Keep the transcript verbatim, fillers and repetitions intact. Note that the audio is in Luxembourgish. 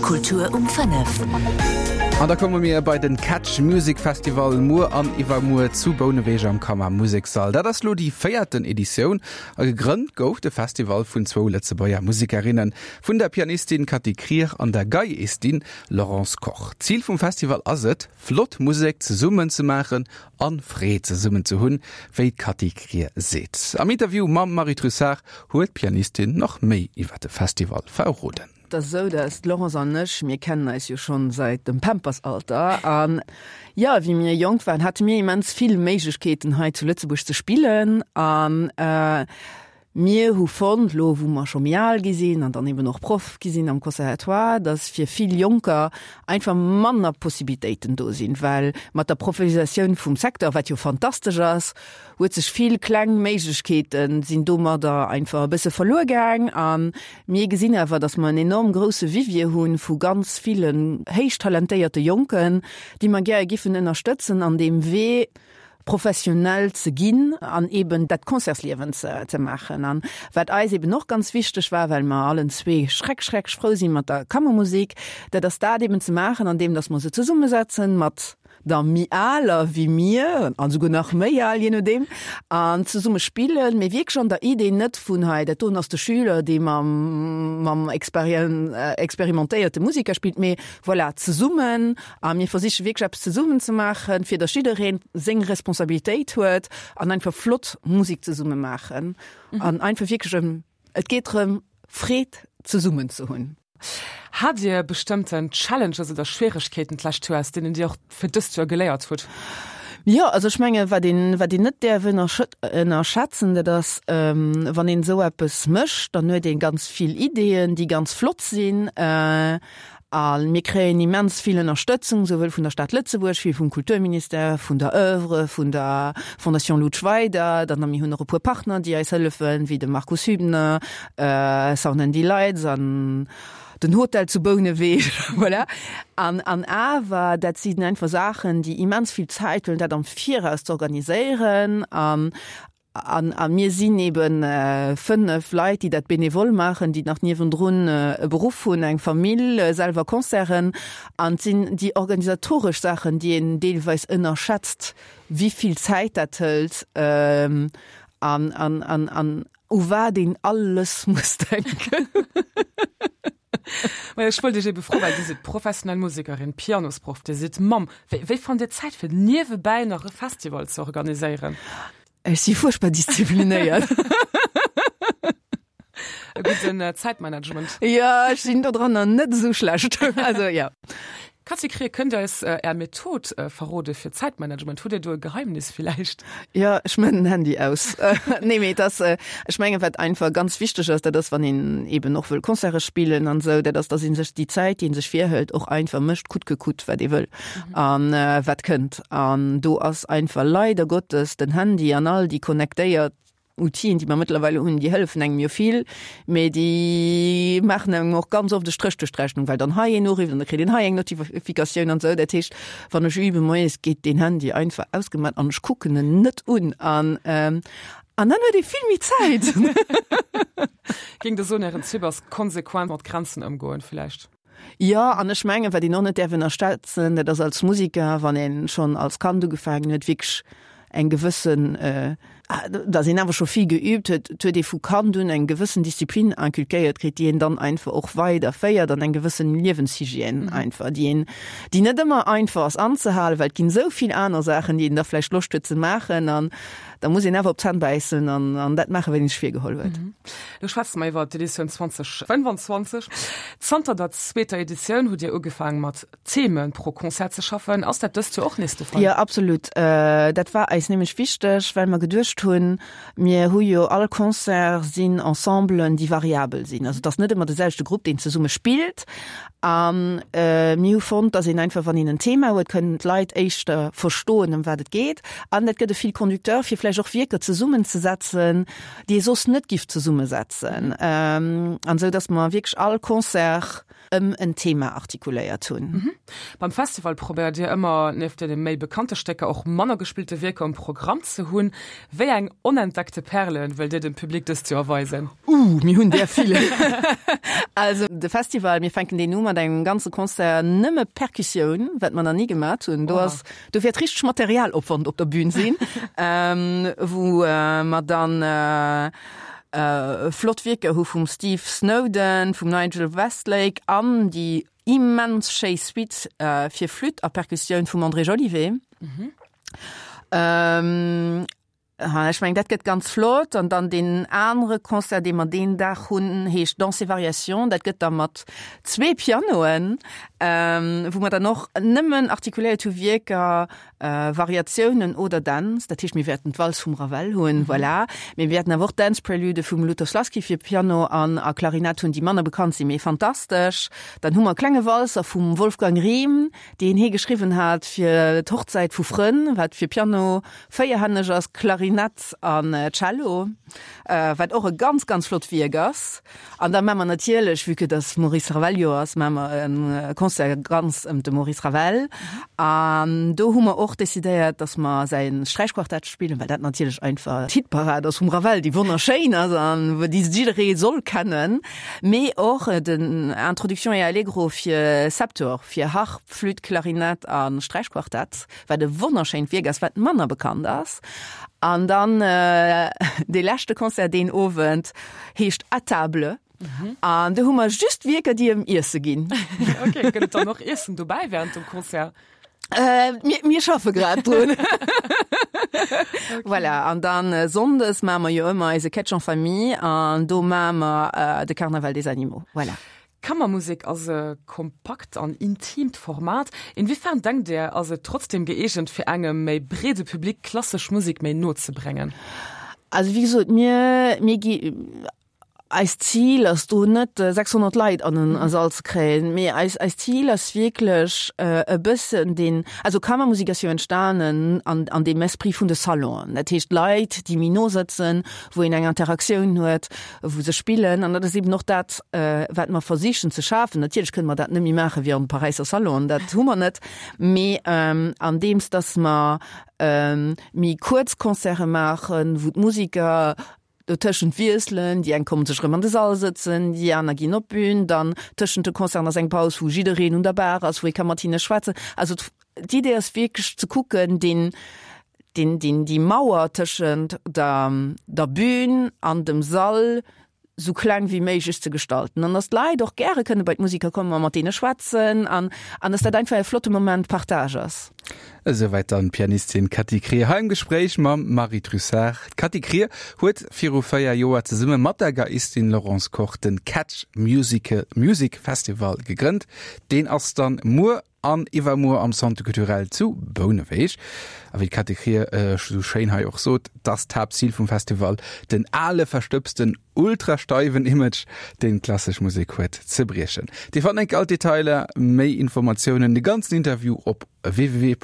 Kultur um fënnef. An da komme mir bei den Catch Music Festival muer an iwwermuer zu Bouneweg am Kammermuseksall. Dat ass lo déi véierten Editioun a gegrënnt gouf de Festival vun zwou Lëtzebuerger Musekerinnen, vun der Pianistin Cathy Krier an der Geiistin Laurence Koch. Zil vum Festival ass et, flott Musek zesummen ze maachen an Freed zesummen ze hunn, wéi d'Cathy Krier seet. Am Interview mam Marie Trussart huet d'Pianistin nach méi iwwer de Festival verroden. Et ass esou, dass d'Laurence an ech, mir kennen eis jo schonn säit dem Pampersalter an jo, wéi mir jonk waren, hate mir immens vill Méiglechkeeten hei zu Lëtzebuerg ze spillen an mir hu fonnt, lo wou mer scho méi al gi sinn an dann eben och Proff gi sinn am Conservatoire, dass fir vill Jonker einfach manner Possibilitéiten do sinn, well mat der Professionalisatioun vum Secteur, wat jo fantastesch ass, huet sech vill kleng Méiglechkeete sinn domadder einfach e bësse verluer gaang. A mir gesinn awer, datt mer en enorm grousse Vivier hu vu ganz villen héich talentéierte Jonken, déi mer gäre giffen ënnerstëtzen an deem Wee, professionell ze ginn an eben dat Concertsliewen ze ze maachen. An wat eis eben och ganz wichteg war, well mer allen zwee schreck schreck frou si mat der Kammermusek, dat ass dat eben ze maachen, andeem datt mer se zesummesetzen mat der méi aler wéi mir, an souguer nach méi al, je nodeem, an zesumme spillen, mee wierklech an der Idee net vun hei, dat doen ass de Schüler, dee mam, mam experimentéierte Musiker spillt, mee voilà, zesummen, a mir versiche wierklech eppes zesummen ze maachen, fir datt jiddereen seng Responsabilitéit huet an einfach flott Musek zesumme maachen an einfach wierklech ëm, et geet drëm, Freed zesummen ze hunn. Hat Dir bestëmmten Challenges oder Schwieregkeeten d'lescht Joer, aus deenen Dir och fir dëst Joer geléiert hutt? Jo, also ech menge wat een, wat een net däerf ënnerschätzen, dat ass, wann een esou eppes mécht, dann huet ee ganz vill Ideeën, déi ganz flott sinn. A mir kréien immens vill Ënnerstëtzung, souwuel vun der Stad Lëtzebuerg wéi vum Kulturministère, vun der Oeuvre, vun der Fondation Loutsch Weider. Dann mir hunn och e puer Partner, déi eis hëllefen, wéi de Markus Hübner, Sound and Delights an den Hotel zu Bouneweg. Voilà. An, an awer, dat sinn einfach Saachen, déi immens vill Zäit huelen, dat am Viraus ze organiséieren. An, an, a mir sinn eben fënnef Leit, déi dat benevol maachen, déi nach niewendrun e Beruff hunn, eng Famill, selwer Concerten. An et sinn déi organisatoresch Saachen, déi een deelweis ënnerschätzt, wéi vill Zäit dat hëlt an, an, an, an u wat een alles muss denken. Majo, ech wollt Iech ebe froen, well Dir sidd professionell Musekerin, Pianosproff, Dir sidd Mamm. Wéi, wéi fannt Dir Zäit, fir niewebäi nach e Festival ze organiséieren? Ech si fuerchtbar disziplinéiert. E gudden Zäitmanagement. Jo, ech sinn dodranner net esou schlecht. Also, jo. Cathy Krier, Kënnt Dir eis Är Method verrode fir Zäitmanagement? Hutt Dir do e Geheimnis villäicht? Jo, ech man den Handy aus. Nee, mee et ass, ech mengen, wat einfach ganz wichteg ass, dat ass, wann een eben och wëll Concerte spillen an esou, dat ass, dass ee sech déi Zäit, déi ee sech virhëlt, och einfach mécht, coûte que coûte, wat ee wëll an wat kënnt. An do ass einfach leider Gottes den Handy an all déi connectéiert Outile, déi mer mëttlerweile hunn, déi hëllefen engem jo vill, mee déi maachen engem och ganz oft e Stréch duerch d'Rechnung, well dann hei een urifft an da kritt een hei eng Notifikatioun an esou. Dat heescht, wann ech üben moies, geet deen Handy einfach ausgemaach an ech kucken en net un an an dann huet ee vill méi Zäit. Géing Der soen, Ären Typ ass konsequent mat Grenzen ëmgoen villäicht? Jo, an ech mengen, wat een och net däerf ënnerschätzen, dat ass als Musiker, wann ee schonn als Kand ugefaangen huet, wierklech eng gewëssen, datt een awer scho vill geübt huet, et huet ee vu Kand un eng gewëssen Disziplin inculquéiert kritt, déi een dann einfach och weiderféiert an eng gewëssen Liewenshygiène einfach, déi een, déi net ëmmer einfach ass anzehalen, well et ginn esou vill aner Saachen, déi een da vläicht Loscht huet ze maachen an da muss een awer op d'Zänn bäissen an an dat maachen, wat een sech virgeholl huet. Lo schwätze mer iwwer d'Editioun zwanzeg fënnwanzwanzeg. Zanter der zweeter Editioun hutt Dir ugefaange mat Themen pro Concert ze schaffen. Ass dat dëst Joer och nees de Fall? Jo, absolut. Dat war eis nämlech wichteg, well mer geduecht hunn, mir hu jo all Concert sinn Ensemblen, déi variabel sinn. Also et ass net ëmmer de selwechte Grupp, deen zesumme spillt. A mir hu fonnt, datt een einfach, wann een en Thema huet, kënnen d'Leit éischter verstoen, ëm wat et geet. An dat gëtt e Fil conducteur, fir vläicht och Wierker zesummenzesetzen, déi ee soss net giff zesummesetzen. An esou datt mer wierklech all Concert ëm en Thema artikuléiert hunn. Beim Festival probéiert Dir ëmmer, nieft deene méi bekannte Stécker och manner gespillte Wierker um Programm ze hunn. Wéi Wéi eng onentdeckte Perlen wëllt Dir dem Public dëst Joer weisen? Uh, mir hunn der vill. Also de Festival, mir fänken deen u mat engem ganze Concert nëmme Perkussioun, wat mer nach ni gemat hunn. Do ass, do wäert richteg Materialopwand op der Bühn sinn, wou mer dann flott Wierker hu vum Steve Snowden, vum Nigel Westlake an déi immens schéi Suite fir Flütt a Perkussioun vum André Jolivet. Ech mengen, dat gëtt ganz flott. An dann deen anere Concert, dee mer deen Dag hunn, heescht Danse et variations. Dat gëtt da mat zwee Pianoen, wou mer dann och nëmmen artikuléiert hu Wierker, Variatiounen oder Dänz. Dat heescht, mir wäerten d'Walz vum Ravel hunn, voilà. Mee mir wäerten awer och Dance Prelude vum Lutoslawski fir Piano an a Klarinett hunn, déi manner bekannt sinn, mee fantastesch. Dann hu mer e klenge Walzer vum Wolfgang Rihm, deen hie geschriwwen hat fir d'Hochzäit vu Frënn, wat fir Piano véierhänneg ass, Klarinett an Cello, wat och e ganz, ganz flott Wierk ass. An da maache mer natierlech, vue que dass Maurice Ravel-Joer ass, maache mer e Concert ganz ëm de Maurice Ravel. An do hu mer och decidéiert, dass mer säi Sträichquartett spillen, well dat natierlech einfach d'Hitparad ass vum Ravel, déi wonnerschéin ass an déi jidderee soll kennen. Mee och den Introduction et Allegro fir Septuor, fir Harp, Flütt, Klarinett a Sträichquartett, wat e wonnerschéint Wierk ass, wat manner bekannt ass. An dann dee leschte Concert deen Owend heescht À table. An do hu mer just Wierker, déi ëm Iesse ginn. Ok, gëtt et dann och Iessen dobäi wärend dem Concert? Äh, mir, mir schaffe grad drun. Voilà, an dann äh, Sonndes maache mer jo ëmmer eise Catch en Famille an do maache mer äh, de Carnaval des Animaux. Voilà. Kammermusek ass e kompakt an intimt Format. Inwiefern denkt Dir, ass et trotzdem gëeegent fir engem méi breede Public klassesch Musek méi no ze bréngen? Also wéi gesot, mir, mir gi eist Zil ass do net sechshonnert Leit an en Sall ze kréien, mee eis, eist Zil ass wierklech e bëssen deen, also Kammermusek ass jo entstanen an, an deem Esprit vun de Salonen, dat heescht Leit, déi méi no sëtzen, wou een eng Interaktioun huet, wou se spillen an dat ass eben och dat, wat mer versichen ze schafen. Natierlech kënne mer dat net méi maache wéi an de Paräisser Salonen, dat hu mer net, mee andeems datt mer méi kuerz Concerte maachen, wou d'Musiker dotëschent wiesselen, déi eng kommen sech erëm an de Sall sëtzen, déi aner ginn op d'Bün, dann tëschent de Concerten ass eng Paus, wou jiddereen un der Bar ass, wou ee ka mat hinne schwätzen. Also d'Idee ass wierklech ze kucken, deen, deen, deen, déi Mauer tëschent der, der Bün an dem Sall sou kleng wéi méiglech ze gestalten an dass d'Leit och gäre kënne bei d'Musiker kommen a mat deene schwätzen an an dass dat einfach e flotte Moment Partage ass. Esouwäit dann d'Pianistin Cathy Krier hei am Gespréich mam Marie Trussart. D'Cathy Krier huet viru véier Joer zesumme mat der Geiistin Laurence Koch den Catch Musical Music Festival gegrënnt. Deen ass dann muer an iwwermuer am Centre Culturel zu Bouneweg. A wéi d'Cathy Krier esou schéin hei och sot, dass d'Haaptzil vum Festival den ale verstëbsten ultrasteiwen Image, deen d'klassesch Musek huet, ze briechen. Dir fannt enk all d'Detailer, méi Informatiounen, de ganzen Interview op www.opus.radio.